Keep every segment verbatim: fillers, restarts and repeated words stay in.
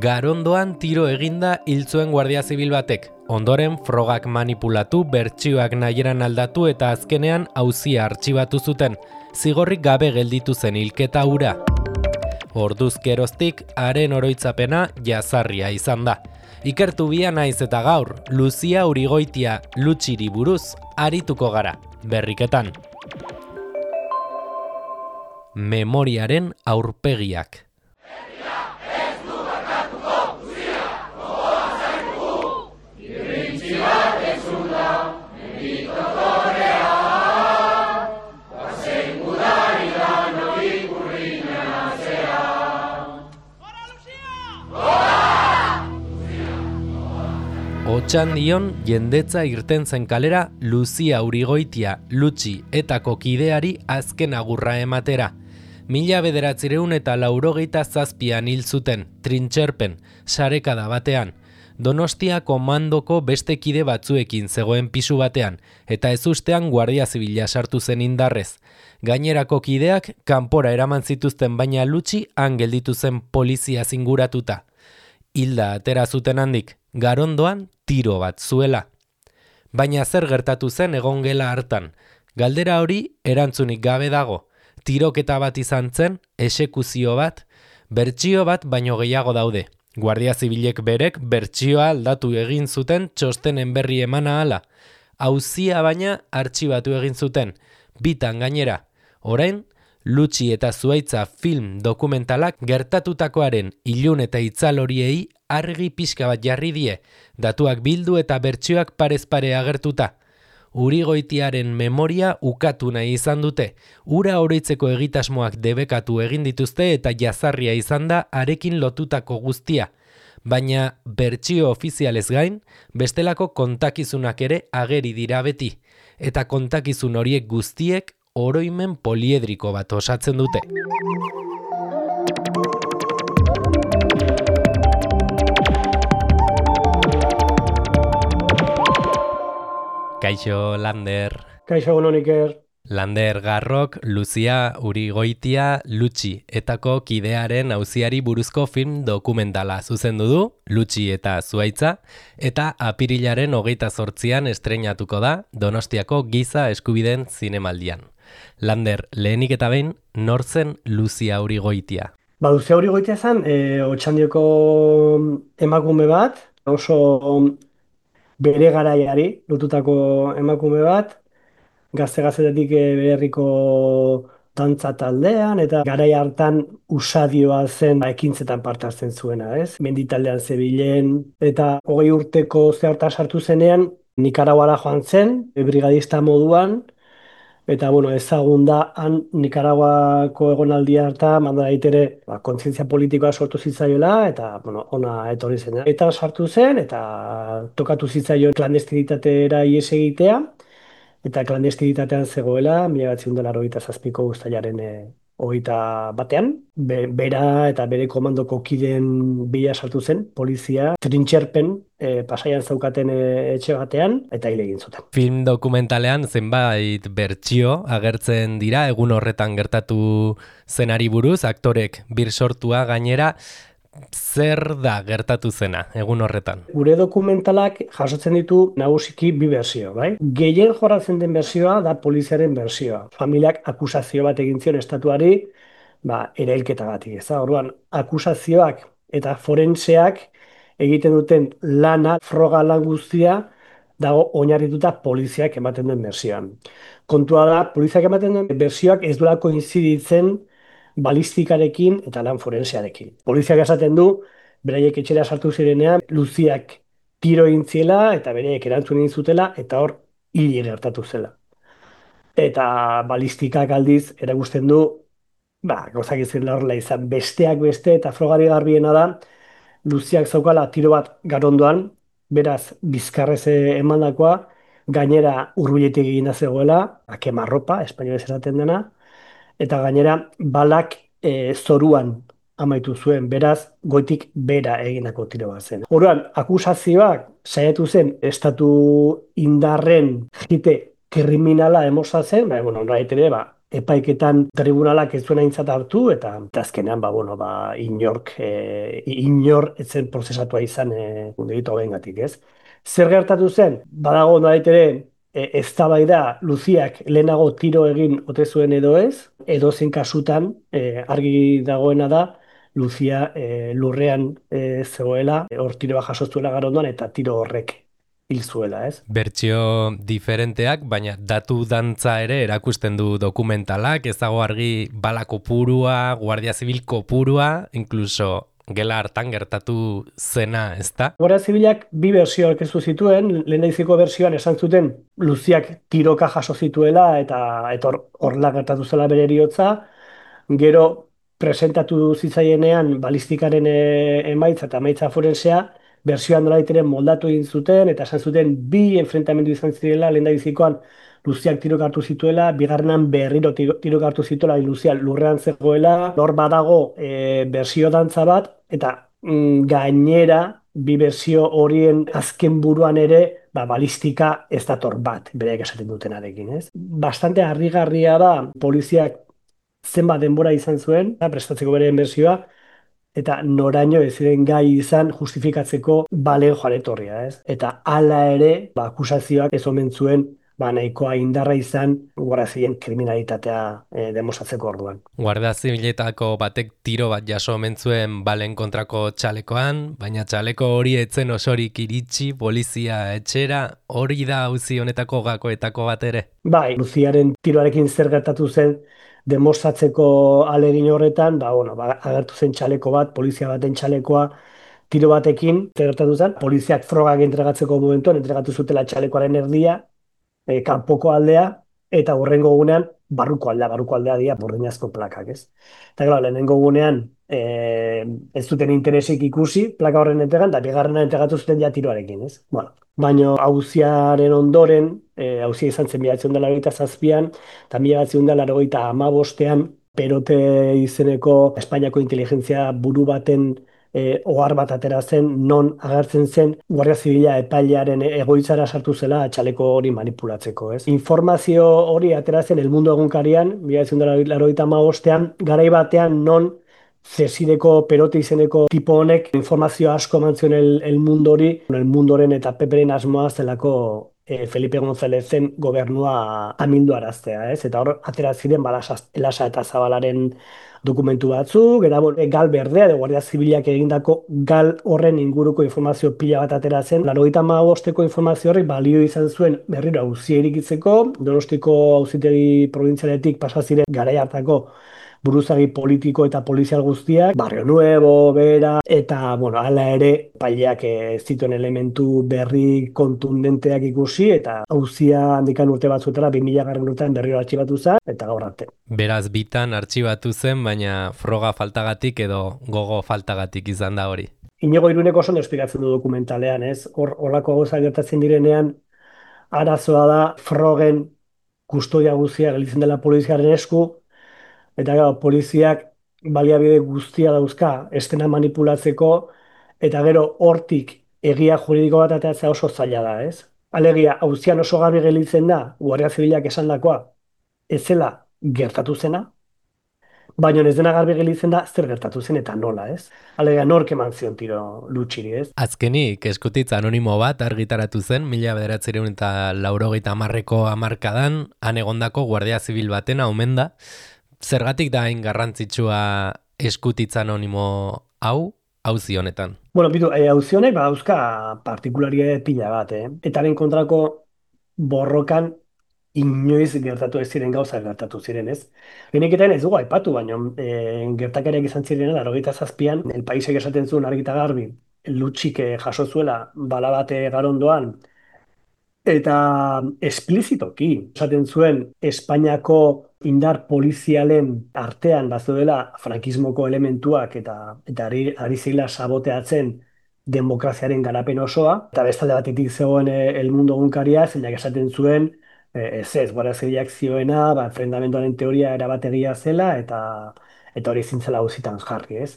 Garondoan tiro eginda hil zuen Guardia Zibil batek. Ondoren frogak manipulatu, bertsioak nahieran aldatu eta azkenean auzia artxibatu zuten. Zigorrik gabe gelditu zen hilketa hura. Orduz geroztik, haren oroitzapena jazarria izan da. Ikertu bia naiz eta gaur, Luzia Urigoitia Lutxiri buruz arituko gara, berriketan. Memoriaren aurpegiak. Otxandion jendetza irten zen kalera Luzia Urigoitia Lutxi etako kideari azken agurra ematera. Mila bederatzireun eta laurogeita zazpian hil zuten, trintxerpen, sarekada batean. Donostia komandoko beste kide batzuekin zegoen pisu batean, eta ezustean Guardia Zibila sartu zen indarrez. Gainerako kideak kanpora eraman zituzten baina Lutxi han gelditu zen polizia zinguratuta. Hilda atera zuten handik, Garondoan tiro bat zuela. Baina zer gertatu zen egongela hartan. Galdera hori erantzunik gabe dago. Tiroketa bat izan zen, esekuzio bat, bertsio bat baino gehiago daude. Guardia Zibilek berek bertsioa aldatu egin zuten txostenen berri emana hala. Auzia baina artxibatu egin zuten, bitan gainera. Orain, Lutxi eta Zuhaitza film dokumentalak gertatutakoaren ilun eta itzal horiei argi pixka bat jarri die, datuak bildu eta bertsioak parez pare agertuta. Urigoitiaren memoria ukatu nahi izan dute, ura oroitzeko egitasmoak debekatu egin dituzte eta jazarria izan da arekin lotutako guztia. Baina bertsio ofizialez gain, bestelako kontakizunak ere ageri dira beti, eta kontakizun horiek guztiek oroimen poliedriko bat osatzen dute. Kaixo, Lander. Kaixo, egun Iker. Lander Garrok, Luzia Urigoitia Lutxi etako kidearen auziari buruzko film dokumentala zuzendu du, Lutxi eta Zuhaitza, eta apirilaren hogeita zortzian estreinatuko da Donostiako Giza Eskubideen Zinemaldian. Lander, lehenik eta behin, nor zen Luzia Urigoitia? Ba, Luzia Urigoitia zen, e, Otxandioko emakume bat, oso bere garaiari lotutako emakume bat, gazte-gaztetetik bere herriko dantza taldean, eta garai hartan usadioa zen ekintzetan parte hartzen zuena, ez? Menditaldean zebilen, eta hogei urteko zehartan sartu zenean, Nikaraguara joan zen, brigadista moduan, eta bueno, ezagun da han Nikaraguako egonaldi harta mandara itere ba, kontzientzia politikoa sortu zitzaioela eta bueno, ona etorri zen. Eta sartu zen eta tokatu zitzaion klandestinitatera ihes egitea eta klandestinitatean zegoela mila bederatziehun eta laurogeita zazpiko uztailaren e, hogeita batean. Be, bera eta bere komandoko kideen bila sartu zen, polizia, trintxerpen e, pasaian zaukaten e, etxe batean, eta hil egin zuten. Film dokumentalean zenbait bertsio agertzen dira, egun horretan gertatu zenari buruz, aktorek bir sortua gainera, zer da gertatu zena egun horretan? Gure dokumentalak jasotzen ditu nagusiki bi bersio, bai? Gehien jorratzen den bersioa da poliziaren bersioa. Familiak akusazio bat egin zion estatuari, ba, erailketagatik, ez da? Orduan, akusazioak eta forenseak egiten duten lana, froga lan guztia, dago oinarrituta poliziak ematen duen bersioan. Kontua da, poliziak ematen duen bersioak ez duelako inziditzen balistikarekin eta lan forensearekin. Poliziak esaten du, beraiek etxera sartu zirenean, Luziak tiro egin ziela eta beraiek erantzun egin zutela eta hor hil gertatu zela. Eta balistikak aldiz erakusten du, ba, gauzak izan horrela izan, besteak beste eta frogari garbiena da, Luziak zaukala tiro bat Garondoan, beraz bizkarrez emandakoa, gainera hurbiletik egina zegoela, a kemarropa, espainolez esaten dena, eta gainera balak e, zoruan amaitu zuen, beraz goitik bera egindako tiro bat zen. Orduan, akusazioak saiatu zen estatu indarren jite kriminala emosatzen, ba, bueno, nolabait ere, ba, epaiketan tribunalak ez zuen aintzat hartu, eta, eta azkenean, ba, bueno, ba, inork, e, inor etzen prozesatua izan e, delitu hauengatik, ez? Zer gertatu zen? Badago nolait ere, e, eztabaida Luziak lehenago tiro egin ote zuen edo ez, edo zen kasutan e, argi dagoena da, Luzia e, lurrean e, zegoela, e, hor tiro bat jaso zuela garondoan, eta tiro horrek hil zuela, ez? Bertsio diferenteak, baina datu dantza ere erakusten du dokumentalak, ez dago argi bala kopurua, guardia zibil kopurua, incluso gela hartan gertatu zena, ez da? Guardia Zibilak bi bersio aurkeztu zituen, lehendaiziko bersioan esan zuten Luziak tiroka jaso zituela eta etor horrela gertatu zela bere heriotza. Gero presentatu zitzaienean balistikaren e, emaitza eta emaitza forensea, bersioan nolabait ere moldatu egin zuten eta esan zuten bi enfrentamendu izan zirela lehendabizikoan Luziak tiroka hartu zituela, bigarrenan berriro tiro- tiroka hartu zituela, Luzia lurrean zegoela, hor badago e, bersio dantza bat, eta mm, gainera bi bersio horien azken buruan ere, ba, balistika ez dator bat, bereak esaten dutenarekin, ez? Bastante harrigarria da, poliziak zenbat denbora izan zuen, da, prestatzeko bere bersioa, eta noraino ez ziren gai izan justifikatzeko balen joan etorria, ez? Eta hala ere, ba, akusazioak ez omen zuen, ba, nahikoa indarra izan, guardia ziren kriminalitatea e, demostratzeko orduan. Guardia zibiletako batek tiro bat jaso omen zuen balen kontrako txalekoan, baina txaleko hori etzen osorik iritsi, polizia etxera, hori da auzi honetako gakoetako bat ere. Bai, Luziaren tiroarekin zer gertatu zen demostratzeko ahalegin horretan, ba, bueno, ba, agertu zen txaleko bat, polizia baten txalekoa tiro batekin, zer gertatu zen, poliziak frogak entregatzeko momentuan, entregatu zutela txalekoaren erdia, e, kanpoko aldea, eta hurrengo gunean barruko aldea, barruko aldea dira burdinazko plakak, ez? Eta claro, lehenengo gunean e, ez zuten interesik ikusi plaka horren entregan, eta bigarrena entregatu zuten ja tiroarekin, ez? Bueno, baino auziaren ondoren, e, auzia izan zen mila bederatziehun eta laurogeita zazpian, eta mila bederatziehun eta laurogeita hamabostean, Perote izeneko Espainiako inteligentzia buru baten e, ohar bat atera zen, non agertzen zen Guardia Zibila epailearen egoitzara sartu zela txaleko hori manipulatzeko, ez? Informazio hori atera zen El Mundo egunkarian, mila bederatziehun eta laurogeita hamabostean, garai batean non Zesideko Perote izeneko tipo honek informazio asko eman zion el, el Mundori, el Mundoren eta Peperen asmoa zelako e, Felipe Gonzalezen gobernua amildu araztea, ez? Eta hor atera ziren balasa, Elasa eta Zabalaren dokumentu batzuk, eta bon, e, gal berdea, de Guardia Zibilak egindako gal horren inguruko informazio pila bat atera zen. Laurogeita hamabosteko informazio horrek balio izan zuen berriro auzia irikitzeko, Donostiko auzitegi probintzialetik pasa ziren garai hartako buruzagi politiko eta polizial guztiak, Barrio Nuevo, Bera, eta, bueno, hala ere, paileak ez zituen elementu berri kontundenteak ikusi, eta auzia handikan urte batzuetara, bi mila garren urtean berriro artxibatu zen, eta gaur arte. Beraz bitan artxibatu zen, baina froga faltagatik edo gogo faltagatik izan da hori. Inigo Iruneko oso ondo esplikatzen du dokumentalean, ez? Hor, horlako gauza gertatzen direnean, arazoa da frogen kustodia guztia gelditzen dela poliziaren esku, eta gero, poliziak baliabide guztia dauzka estena manipulatzeko, eta gero hortik egia juridiko bat ateratzea oso zaila da, ez? Alegia, auzian oso garbi gelditzen da, Guardia Zibilak esandakoa, ez zela gertatu zena, baina ez dena garbi gelditzen da zer gertatu zen eta nola, ez? Alegia, nork eman zion tiro Lutxiri, ez? Azkenik, eskutitz anonimo bat argitaratu zen, mila bederatziehun eta laurogeita hamarreko hamarkadan, han egondako Guardia Zibil batena omen da. Zergatik da hain garrantzitsua eskutitz anonimo hau, auzi honetan? Bueno, bitu, e, auzi honek badauzka partikularia pila bat, eh? Etaren kontrako borrokan inoiz gertatu ez ziren gauza gertatu ziren, ez? Leheniketen ez dugu aipatu, baina e, gertakariak izan ziren, laurogeita zazpian, El Paisek esaten zuen argi eta garbi, Lutxik eh, jaso zuela bala bate garondoan, eta esplizitoki esaten zuen Espainiako indar polizialen artean bazeudela frankismoko elementuak eta eta ari, ari zela saboteatzen demokraziaren garapen osoa, eta bestalde batetik zegoen eh, El Mundo egunkaria, zeinak esaten zuen eh, ez ez, Guardia Zibilak zioena, ba, enfrentamenduaren teoria erabat egia zela, eta eta hori zintzela auzitan jarri, ez?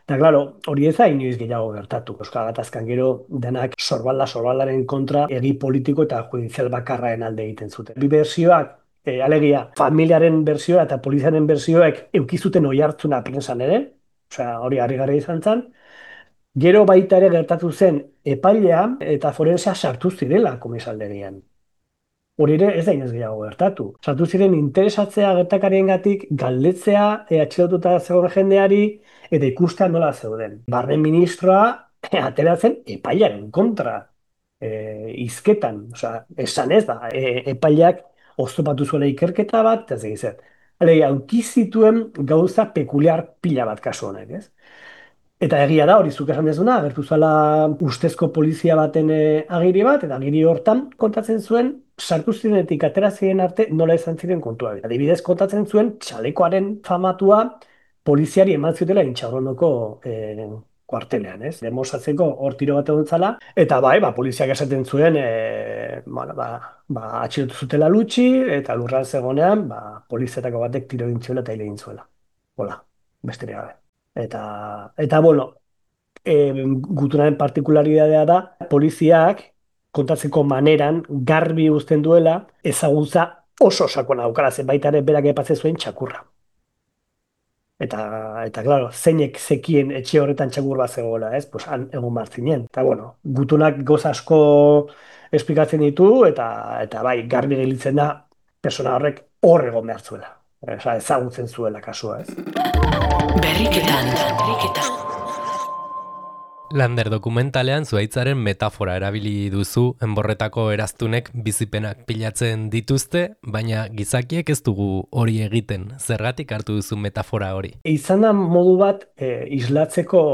Eta, klaro, hori ez da inoiz gehiago gertatu. Euskal Gatazkan gero denak sorbalda sorbaldaren kontra egi politiko eta judizial bakarraen alde egiten zuten. Bi bersioak E, alegia, familiaren bersioa eta poliziaren bersioek eukizuten oi hartzuna prensan ere, osea, hori harrigarria izan zen. Gero baita ere gertatu zen epailea eta forensea sartu zirela komisaldegian. Hori ere ez da inoiz gehiago gertatu. Sartu ziren interesatzea gertakariengatik, galdetzea e, atxilotuta zegoen jendeari eta ikustea nola zeuden. Barne ministroa e, ateratzen epailearen kontra. E, izketan, osea, esan ez da, e, epaileak oztopatu zuela ikerketa bat, eta ez egizet. Alegia, aukizituen gauza pekuliar pila bat kasu honek, ez? Eta egia da, hori zuk esan dezuna, agertu zala ustezko polizia baten e, agiri bat, eta agiri hortan kontatzen zuen, sartu zirenetik atera ziren arte nola izan ziren kontua. Adibidez, kontatzen zuen txalekoaren famatua poliziari eman ziotela Intxaurrondoko e, kuartelean, ez? Demostratzeko hor tiro bat egon zala, eta bai, ba, poliziak esaten zuen, e, bueno, ba, ba, atxilotu zutela Lutxi, eta lurran zegonean, ba, poliziatako batek tiro egin zuela eta hile egin zuela. Hola, besterik gabe. Eta, eta bueno, e, gutunaren partikularitatea da, poliziak kontatzeko maneran garbi uzten duela ezagutza oso sakona daukala, zen baita ere berak aipatzen zuen txakurra. Eta, eta claro, zeinek zekien etxe horretan txakur bat zegoela, ez? Pues han egon martzinen. Eta bueno, gutunak goz asko esplikatzen ditu, eta, eta bai, garbi gelitzen da, persona horrek hor egon behar zuela. Osa, ezagutzen zuela kasua, ez? Berriketan, berriketan. Lander dokumentalean zuhaitzaren metafora erabili duzu, enborretako eraztunek bizipenak pilatzen dituzte, baina gizakiek ez dugu hori egiten. Zergatik hartu duzu metafora hori? Izan da modu bat e, islatzeko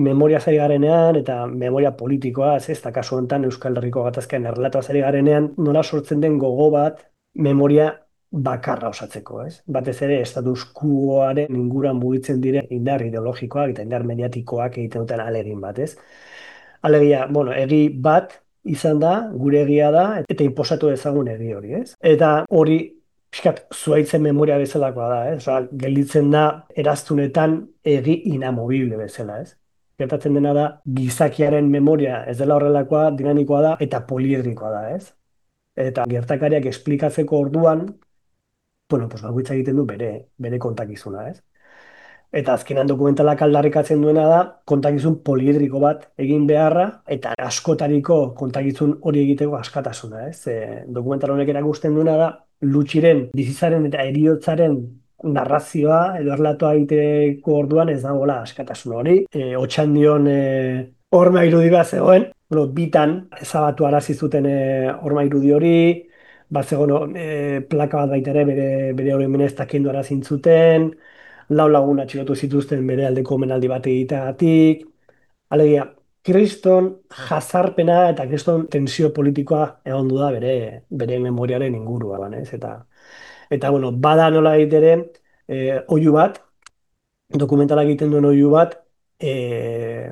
memoria zari garenean eta memoria politikoa, ez da kasu honetan Euskal Herriko gatazkean errelatoa zari garenean, nola sortzen den gogo bat memoria bakarra osatzeko, ez? Batez ere, status quoaren inguruan mugitzen diren indar ideologikoak eta indar mediatikoak egiten duten alegin bat, ez? Alegia, bueno, egi bat izan da, gure egia da, eta inposatu dezagun egi hori, ez? Eta hori, pixkat, zuhaitzen memoria bezalakoa da, ez? Osa, gelditzen da, eraztunetan egi inamovible bezala, ez? Gertatzen dena da, gizakiaren memoria ez dela horrelakoa, dinamikoa da, eta poliedrikoa da, ez? Eta gertakariak esplikatzeko orduan, bueno, pues bakoitza egiten du bere, bere kontakizuna, ez? Eta azkenan dokumentalak aldarrikatzen duena da, kontakizun poliedriko bat egin beharra, eta askotariko kontakizun hori egiteko askatasuna, ez? E, dokumental honek erakusten duena da, Lutxiren, bizitzaren eta heriotzaren narrazioa, edo erlatoa egiteko orduan ez dagoela askatasun hori. E, Otxandion e, horma irudi bat zegoen, bueno, bitan ezabatu arazi zuten e, horma irudi hori, bat zegoen e, plaka bat baita ere bere, bere hori meneztak kendu arazin zuten, lau lagun atxilotu zituzten bere aldeko omenaldi bat egiteagatik. Alegia, kriston jazarpena eta kriston tensio politikoa egon du da bere, bere memoriaren inguruan, ez? Eta, eta bueno, bada nola egitere, e, oihu bat, dokumentalak egiten duen oihu bat, e,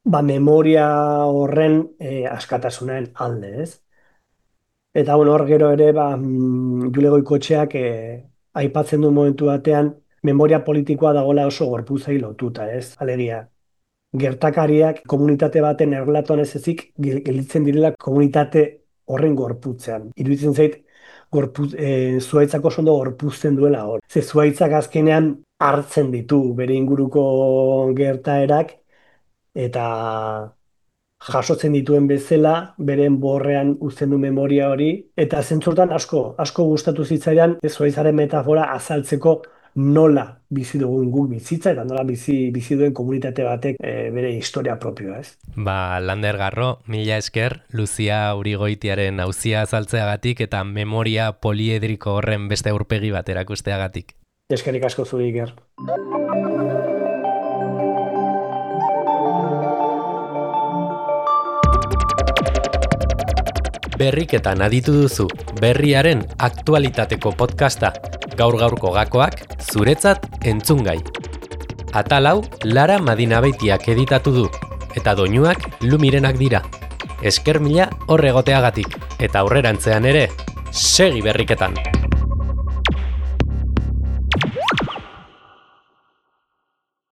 ba, memoria horren e, askatasunen alde, ez? Eta bueno, hor gero ere, ba, Jule Goikotxeak e, aipatzen du momentu batean, memoria politikoa dagoela oso gorputzai lotuta, ez? Alegia, gertakariak komunitate baten erlatoan ez ezik gelditzen direla komunitate horren gorputzean. Iruditzen zait, gorpuz, e, zuhaitzak oso ondo gorpuzten duela hor. Ze zuhaitzak azkenean hartzen ditu bere inguruko gertaerak eta jasotzen dituen bezala, beren borrean uzten du memoria hori, eta zentzurtan asko, asko gustatu zitzaidan, zuhaitzaren metafora azaltzeko nola bizi dugun guk bizitza, eta nola bizi, bizi duen komunitate batek e, bere historia propioa, ez? Ba, Lander Garro, mila esker, Luzia Urigoitiaren auzia azaltzeagatik eta memoria poliedriko horren beste aurpegi bat erakusteagatik. Eskerrik asko zuri, Iker. Berriketan aditu duzu, berriaren aktualitateko podcasta, gaur-gaurko gakoak, zuretzat entzungai. Atal hau, Lara Madinabeitiak editatu du, eta doinuak Lumirenak dira. Esker mila hor egoteagatik, eta aurrerantzean ere, segi berriketan!